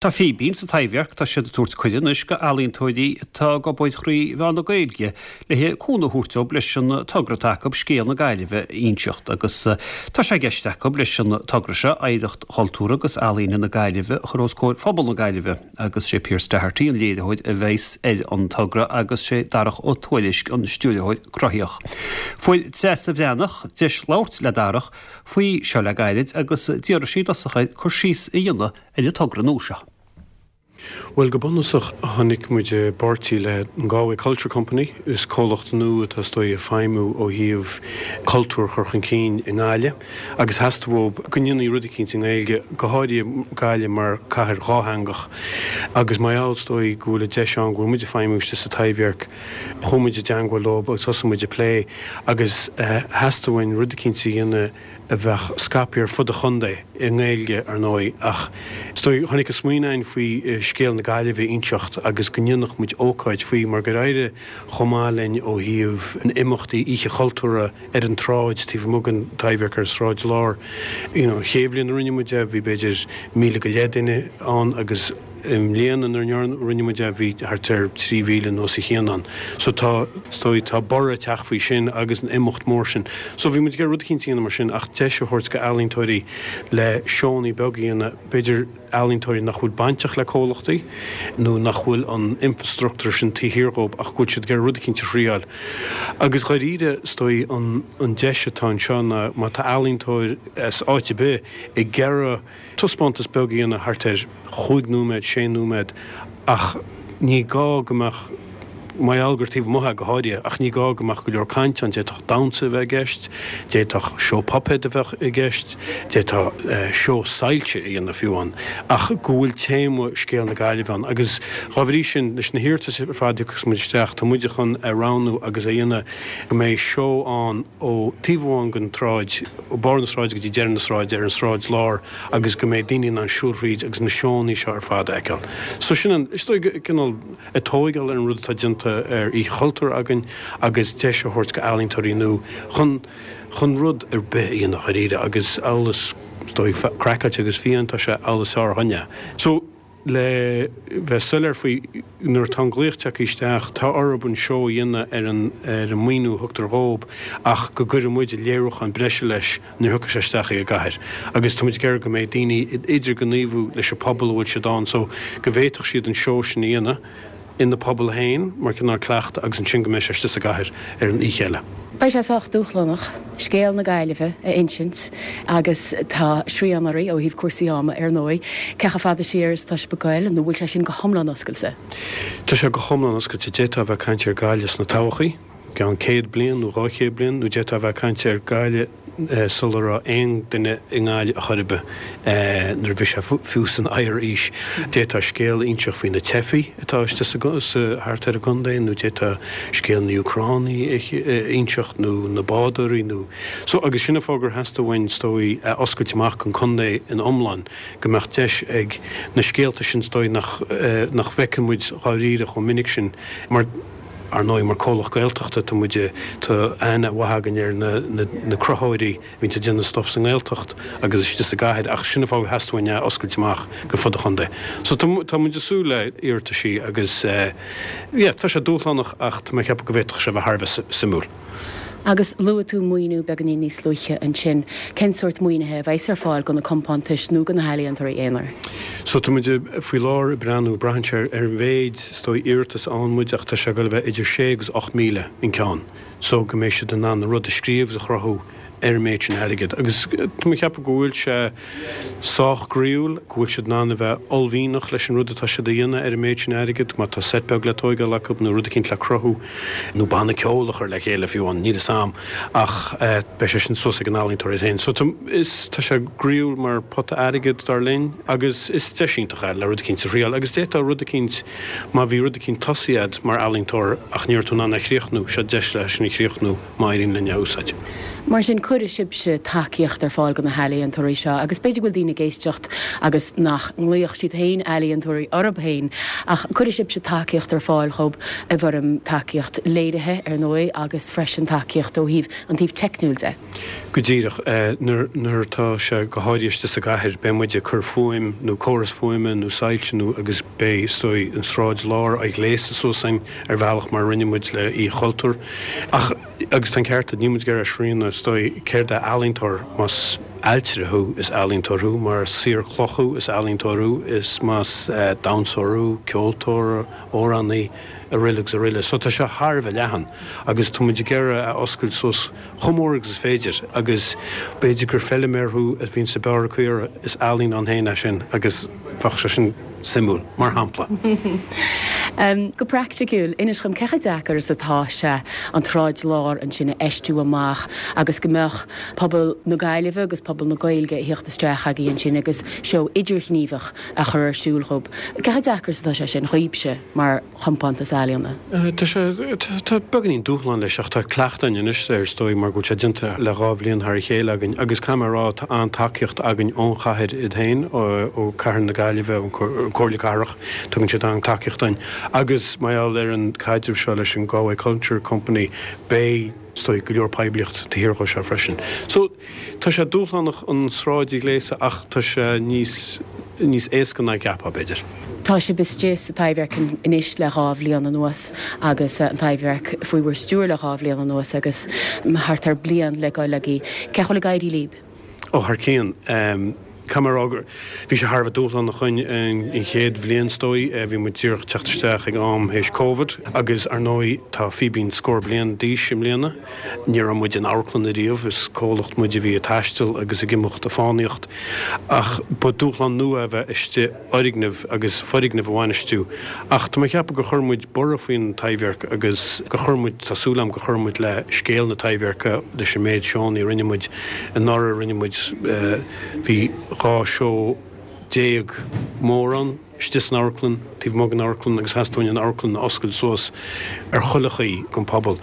Tá Fíbín sa Taibhdhearc, tá siad ag tabhairt cuireadh anois go ealaíontóirí atá ag obair thrí mheán na Gaeilge le cúnamh a thabhairt dóibh leis an togra atá acu scéal na Gaillimhe a inseacht agus tá sé i gceist acu leis an togra seo oidhreacht chultúrtha agus ealaíne na Gaillimhe a chur os comhair phobal na Gaillimhe agus sé Pearse Doherty an léiritheoir a bheas ar an togra agus sé Darach Ó Tuairisg an stiúrthóir cruthaitheach. Fuair Treasa Bhreathnach deis labhairt le Darach faoi seo le gairid agus d'iarr sí i dtosach air cur síos a dhéanamh ar an togra nua seo? Bhuel, go bunúsach, tháinig muid i bpáirtí le an Galway Culture Company. Is comhlacht nua atá is dóigh ag feidhmiú ó thaobh cultúr a chur chun cinn i nGaillimh agus theastaigh uathu go ndéanfaí rud eicínt i nGaeilge, go háirithe Gaillimh mar cathair dhátheangach. Agus mar gheall is dóigh go bhfuil an deis ann go bhfuil muid ag feidhmiú istigh sa Taibhdhearc, chuaigh muid i dteangmháil leo agus thosaigh muid ag plé agus theastaigh uainn rud eicínt a dhéanamh a bheadh scaipthe ar fud an chontae, i nGaeilge, ar ndóigh, ach is dóigh, tháinig an smaoineamh againn faoi scéal na Gaillimhe a inseacht agus go ndéanfadh muid ócáid faoi mar gur éirigh chomh maith linn ó thaobh na n-imeachtaí Oíche Chultúrtha ar an tsráid taobh amuigh den Taibhdhearc ar an Sráid Láir. You know, an chéad bhliain a rinne muid é bhí b'fhéidir 1,000 go leith duine ann agus I mbliana nuair a rinne muid é bhí thart ar 3,000 nó os a chionn ann. So tá, is dóigh, tá borradh ag teacht faoi sin agus an imeacht mór sin. So bhí muid ag iarraidh rud eicínt a dhéanamh mar sin ach deis a thabhairt go ealaíontóirí le seónnaí beaga a dhéanamh, b'fhéidir ealaíontóirí nach bhfuil bainteach le comhlachtaí nó nach bhfuil an infrastruchtúr sin taobh thiar dhób ach go bhfuil siad ag iarraidh rud eicínt a thriáil. Agus dháiríre, is dóigh, an an deis atá anseo ná má tá ealaíontóir as áit ar bith ag iarraidh taispeántas beag a dhéanamh thart ar chúig nóiméad, sé nóiméad ach ní gá go mbeadh, mar gheall gur taobh amuigh é go háirithe, ach ní gá go mbeadh go leor cainte ann, d'fhéadfadh damhsa a bheith i gceist, d'fhéadfadh seó puipéad a bheith i gceist, d'fhéadfadh seó soilse a dhéanamh fiú ann, ach go bhfuil téama scéal na Gaillimhe ann. Agus dá bhrí sin, leis na hiarratais ar fad a thiocfas muid isteach, tá muide chun a roghnú agus a dhéanamh go mbeidh seó ann ó taobh amháin den tsráid, ó barr na sráide go dtí deireadh na sráide ar an Sráid Láir agus go mbeidh daoine in ann siúl thríd agus na seónnaí seo ar fad a fheiceáil. So sin an, is dóigh, cineál ag tóigeáil ar an rud atá déanta ar Oíche Chultúir againn agus deis a thabhairt go ealaíontóirí nua chun, chun rud ar bith a dhéanamh dháiríre agus amhail is, is dóigh, craiceáilte agus fiáin, tá sé amhail is sár-dhuine. So. Le bheith soiléir faoi, nuair atá an glaoch tagtha isteach, tá orthu an seó a dhéanamh ar an ar an maoiniú a thugtar dhób ach go gcuireann muid léiriúchán breise leis nuair a thiocfaidh sé isteach ag an gcathair. Agus tá muid ag iarraidh go mbeidh daoine ag idirghníomhú leis an pobal a bhfuil siad ann so go bhféadfadh siad an seó sin a dhéanamh. ina pobal féin mar cineál cleachtadh agus ansin go mbeidh sé istigh sa gcathair ar an oíche eile. Beidh sé sách dúshlánach scéal na Gaillimhe a insint agus tá srian oraibh ó thaobh cúrsaí ama ar ndóigh. Cé chomh fada siar is atá sibh ag goil nó bhfuil sé sin go hiomlán oscailte? Tá sé go hiomlán oscailte. D'fhéadfá a bheith ag caint ar Gaillimh sna todhchaí, i gceann 100 bliain nó 200 bliain nó d'fhéadfá a bheith ag caint ar Gaillimh sula raibh aon duine i nGaillimh ar chor ar bith, nuair a bhí sé fiú san oighear-aois. D'fhéadfá scéal a inseacht faoi na teifigh atá istigh sa, thart ar an gcontae, nó d'fhéadfá scéal na Úcránaigh a inseacht, nó na bádóirí, nó. So, agus sin an fáth gur theastaigh uainn, is dóigh, a oscailt amach don chontae ina iomlán, go mbeadh deis ag na scéalta sin, is dóigh, nach, nach bhfeiceann muid dháiríre chomh minic sin, mar. Ar ndóigh, mar comhlacht Gaeltachta, tá muid, tá aithne mhaith againn ar na cruthaitheoirí a bhíonns ag déanamh stuff sa nGaeltacht agus istigh sa gcathair ach sin an fáth gur theastaigh uainn é a oscailt amach go fud an chontae. So tá, tá muid ag súil le iarrataisí agus yeah, tá sé dúshlánach ach tá mé ag ceapadh go bhféadfadh sé a bheith thar a bheith suimiúil. Agus luaigh tú maoiniú beagáinín níos luaithe ansin. Cén sórt maoinithe a bheas ar fáil do na compántais nó do na healaíontóirí aonair? So tá muid faoi láthair ag breathnú, braitheann sé ar an mhéid is dóigh iarratas a fhaigheann muid ach tá sé ag dul a bheith idir sé agus 8,000 an ceann so go mbeidh siad in ann an rud a scríobh agus a chruthú ar an méid sin airgid. Agus tá mé ag ceapadh go bhfuil sé sách groíúil, go bhfuil siad in ann a bheith uaillmhianach leis an rud atá siad a dhéanamh ar an méid sin airgid, má tá seit beag le tóigeáil acu nó rud eicínt le cruthú, nó banna ceoil a chur le chéile fiú amháin, níl 'fhios a'm, ach beidh sé sin suas ag an ealaíontóir iad féin. So tá, is, tá sé groíúil mar pota airgid, dar linn, agus is deis iontach é le rud eicínt a thriáil. Agus d'fhéadfá rud eicínt, má bhí rud eicínt tosaithe a'd mar ealaíontóir ach ní raibh tú in ann é a chríochnú, seo deis le sin a chríochnú má éiríonn linn é a úsáid. Mar sin, cuirfidh sibhse tacaíocht ar fáil do na healaíontóirí seo agus b'fhéidir go bhfuil daoine ag éisteacht agus nach nglaofadh siad féin ealaíontóirí orthu féin ach cuirfidh sibhse tacaíocht ar fáil dhóibh i bhfoirm tacaíocht léirithe, ar ndóigh, agus freisin tacaíocht ó thaobh an taobh teicniúil de. Go díreach. Nuair atá sé go háirithe istigh sa gcathair, beidh muid ag cur fuaim nó córas fuaime nó soilse nó agus beidh, is dóigh, an sráid láir á gléasadh suas againn ar bhealach mar a rinne muid le Oíche Chultúir. Ach, agus tá an ceart agat, níl muid ag iarraidh srianadh, is dóigh, céard é ealaíontóir? Más ailtire thú, is ealaíontóir thú, más saor cloch thú, is ealaíontóir thú, is más damhsóir thú, ceoltóir, amhránaí, araile agus araile. So tá sé thar a bheith leathan agus tá muid ag iarraidh a oscailt suas chomh mór agus is féidir agus b'fhéidir gur feilméar thú a bhíonns ag bearradh caora, is ealaín ann féin é sin agus bheadh sé sin suimiúil, mar shampla. Go praiticiúil, inis dhom cé chomh deacair is atá sé an tSráid Láir ansin a fheistiú amach agus go mbeadh pobal na Gaillimhe agus pobal na Gaeilge a thíocht isteach agaibh ansin agus seó idirghníomhach a chur ar siúl dhóibh. Cé chomh deacair is atá sé sin dhaoibhse mar chompántas ealaíona? Tá sé, tá beagáinín dúshlán leis ach tá cleachtadh againn anois air is dóigh mar go bhfuil sé déanta le dhá bhliain thar a chéile againn agus caithfidh mé a rá tá an-tacaíocht againn ón chathair iad féin, ó Cathair na Gaillimhe, ón Comhairle Cathrach, tugann siad an-tacaíocht dúinn agus mar gheall ar an caidreamh seo leis an Galway Culture Company beidh, is dóigh, go leor poiblíocht taobh thiar dhó seo freisin. So, tá sé dúshlánach an sráid a ghléasadh ach tá sé níos, níos éasca ná a cheapfá, b'fhéidir. Tá sibh istigh sa Taibhdhearc anois le dhá bhliain anuas agus an Taibhdhearc faoi bhur stiúir le dhá bhliain anuas agus thart ar bliain le goil agaibh. Cén chaoi a bhfuil ag éirí libh? Ó, thar cionn. Caithfidh mé a rá gur, bhí sé thar a bheith dúshlánach dhúinn an chéad bhliain is dóigh. Bhí muid díreach ag teacht isteach ag am théis Covid agus ar ndóigh tá Fíbín scór bliain d'aois i mbliana. Ní raibh muid in amharclann ariamh, is comhlacht muid a bhí ag taisteal agus ag imeacht ag fánaíocht. Ach ba dúshlán nua a bheith istigh fhoirgneamh agus foirgneamh a bhainistiú. Ach tá mé ag ceapadh gur chuir muid borradh faoin Taibhdhearc agus gur chuir muid, tá súil agam gur chuir muid le scéal na Taibhdheirce leis an méid seónna a rinne muid. Anuraidh rinne muid, bhí 12 seó mór ann, istigh san amharclann, taobh amuigh den amharclann agus theastaigh uainn an amharclann a oscailt suas ar chuile chaoi don phobal.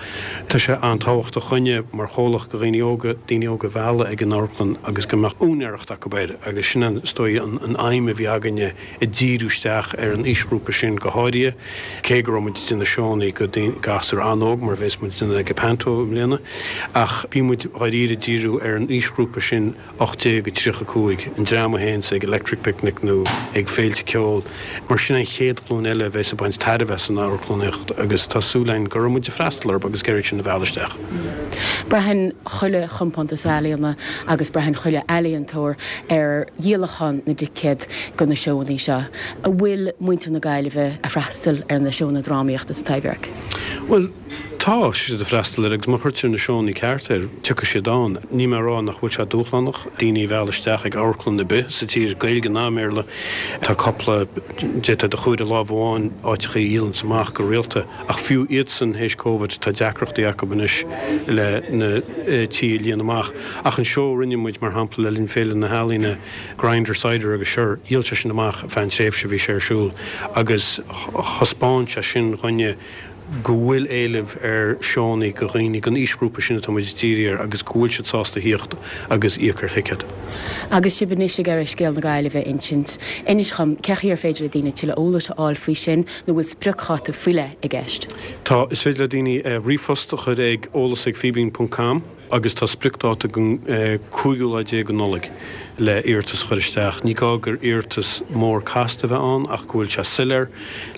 Tá sé an-tábhachtach dhúinne mar chomhlacht do dhaoine óga, daoine óga a mhealladh ag an amharclann agus go mbeadh úinéireacht acu air agus sin is dóigh an aidhm a bhí againne ag díriú isteach ar an aoisghrúpa sin go háirithe, cé go raibh muid ag déanamh seónna do ghasúir an-óg mar a bheas muid ag déanamh ag an Panto i mbliana ach bhí muid dháiríre ag díriú ar an aoisghrúpa sin 18-35, an dream a théanns ag Electric Picnic nó ag féilte ceoil, mar sin an chéad ghlúin eile a bheas ag baint tairbhe as an amharclannaíocht agus tá súil againn go raibh muid ag freastal orthu agus ag iarraidh iad sin a mhealladh isteach. Braitheann chuile chompántas ealaíona agus braitheann chuile ealaíontóir ar dhíolachán na dticéad do na seóanna seo. An bhfuil muintir na Gaillimhe ag freastal ar na seónna drámaíochta sa Taibhdhearc? Bhuel, tá siad ag freastal air agus má chuirtear na seónna ceart air, tiocfaidh siad ann. Níl mé ag rá nach bhfuil sé dúshlánach daoine a mhealladh isteach ag amharclann ar bith sa tír, Gaeilge ná Béarla. Tá cúpla, d'fhéadfá iad a chomhaireamh ar lámh amháin, áiteacha a dhíolanns amach go rialta. Ach fiú iadsan, théis Covid, tá deacrachtaí acu anois le na tithe a líonadh amach. Ach an seó a rinne muid, mar shampla, le linn Féile na hEalaíne, Grindr, Cider agus Sure, dhíol sé sin amach feadh an tréimhse a bhí sé ar siúl agus thaispeáin sé sin dhúinne go bhfuil éileamh ar seónna do dhaoine den aoisghrúpa sin atá muid ag díriú air agus go bhfuil siad sásta thíocht agus íoc ar thicéad. Agus sibh anois ag iarraidh scéal na Gaillimhe a insint, inis dhom, cén chaoi ar féidir le daoine tuilleadh eolais a fháil faoi sin nó bhfuil spriocdháta faoi leith i gceist? Tá, is féidir le daoine ríomhphost a chur ag eolas ag fíbín ponc com. agus tá spriocdháta den cúigiú lá déag de Nollaig le iarratas a chur isteach. Ní gá gur iarratas mór casta a bheith ann ach go bhfuil sé soiléir.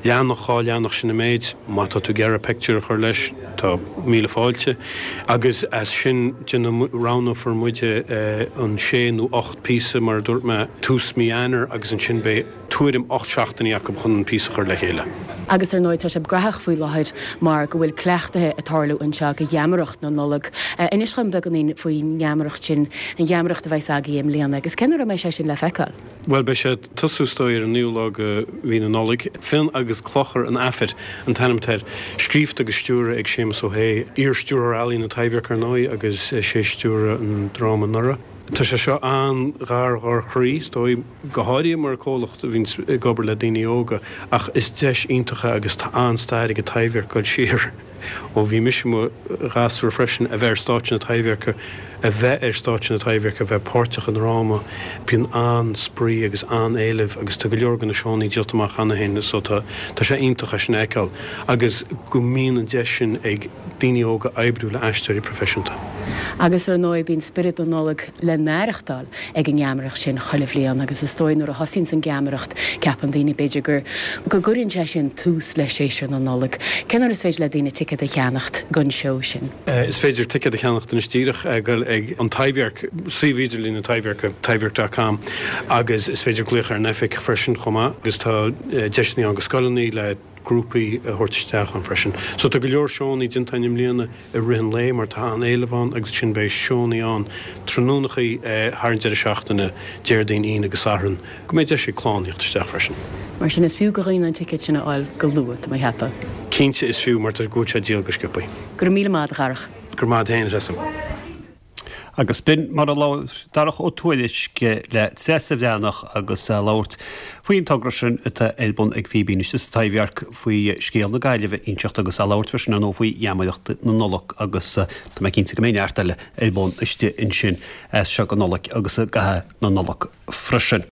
Leathanach, dhá leathanach, sin an méid. Má tá tú ag iarraidh pictiúr a chur leis, tá míle fáilte. Agus as sin déanfaidh, roghnófar muide an sé nó ocht píosa mar a dúirt mé, tús mí Eanáir agus ansin beidh. tuairim 8 seachtainí acu chun an píosa a chur le chéile. Agus ar ndóigh tá sibh graitheach faoi láthair mar go bhfuil cleachtaithe ag tarlú anseo do gheamaireacht na Nollag. Inis dhom beagáinín faoin ngeamaireacht sin, an gheamaireacht a bheas agaibh i mbliana agus cén uair a mbeidh sé sin le feiceáil? Bhuel, beidh sé ag tosú is dóigh ar an naoú lá de mhí na Nollag. Fionn agus Clochar an Aifir an t-ainm atá air. Scríofa agus stiúrtha ag Séamus Ó hAodha, iar-stiúrthóir ealaíon an Taibhdhearc ar ndóigh agus sé a stiúraigh an dráma anuraidh. Tá sé seo an-ghar dhár chroí, is dóigh, go háirithe mar comhlacht a bhíonns ag obair le daoine óga, ach is deis iontach é agus tá an-stair ag an Taibhdhearc dul siar. ó bhí mise i mo ghasúr freisin, a bheith ar stáitse na Taibhdheirce, a bheith ar stáitse na Taibhdheirce, a bheith páirteach i ndráma. Bíonn an-spraoi agus an-éileamh agus tá go leor de na seónnaí díolta amach cheana féin so tá tá sé iontach é sin a fheiceáil agus go mbíonn an deis sin ag daoine óga oibriú le aisteoirí proifisiúnta. Agus ar ndóigh bíonn spiorad na Nollag le n-aireachtáil ag an ngeamaireacht sin chuile bhliain agus is dóigh nuair a thosaíonns an gheamaireacht ceapann daoine b'fhéidir gur go gcuireann sé sin tús le séasúr na Nollag. Cén uair is féidir le daoine ticéad a cheannacht don seó sin? Is féidir ticéad a cheannacht anois díreach ag dul ag an Taibhdhearc, suíomh idirlín na Taibhdheirce, taibhdhearc dot com, agus is féidir glaoch ar an oifig freisin chomh maith agus tá deiseanna ann go scoileanna le grúpaí a thabhairt isteach ann freisin. So tá go leor seónnaí déanta againn i mbliana i rith an lae mar tá an-éileamh ann agus ansin beidh seónnaí ann tráthnónachaí thar an deireadh seachtaine, Déardaoin, Aoine agus Satharn, go mbeidh deis ag clann theacht isteach freisin. Mar sin is fiú go dhaoine an ticéad sin a fháil go luath, tá mé ag ceapadh. Cinnte is fiú mar tá go bhfuil sé ag díol go sciobthaí. Go raibh míle maith agat a Dharach. Go raibh maith agat féin, a Threasa. Agus b'in mar a labhair Darach Ó Tuairisg le Treasa Bhreathnach agus é ag labhairt faoin togra sin atá ar bun ag Fíbín istigh sa Taibhdhearc faoi scéal na Gaillimhe a inseacht agus é ag labhairt freisin ar ndóigh faoi gheamaireacht na Nollag agus tá mé cinnte go mbeidh neart eile ar bun istigh ansin as seo go Nollaig agus i gcaitheamh na Nollag freisin.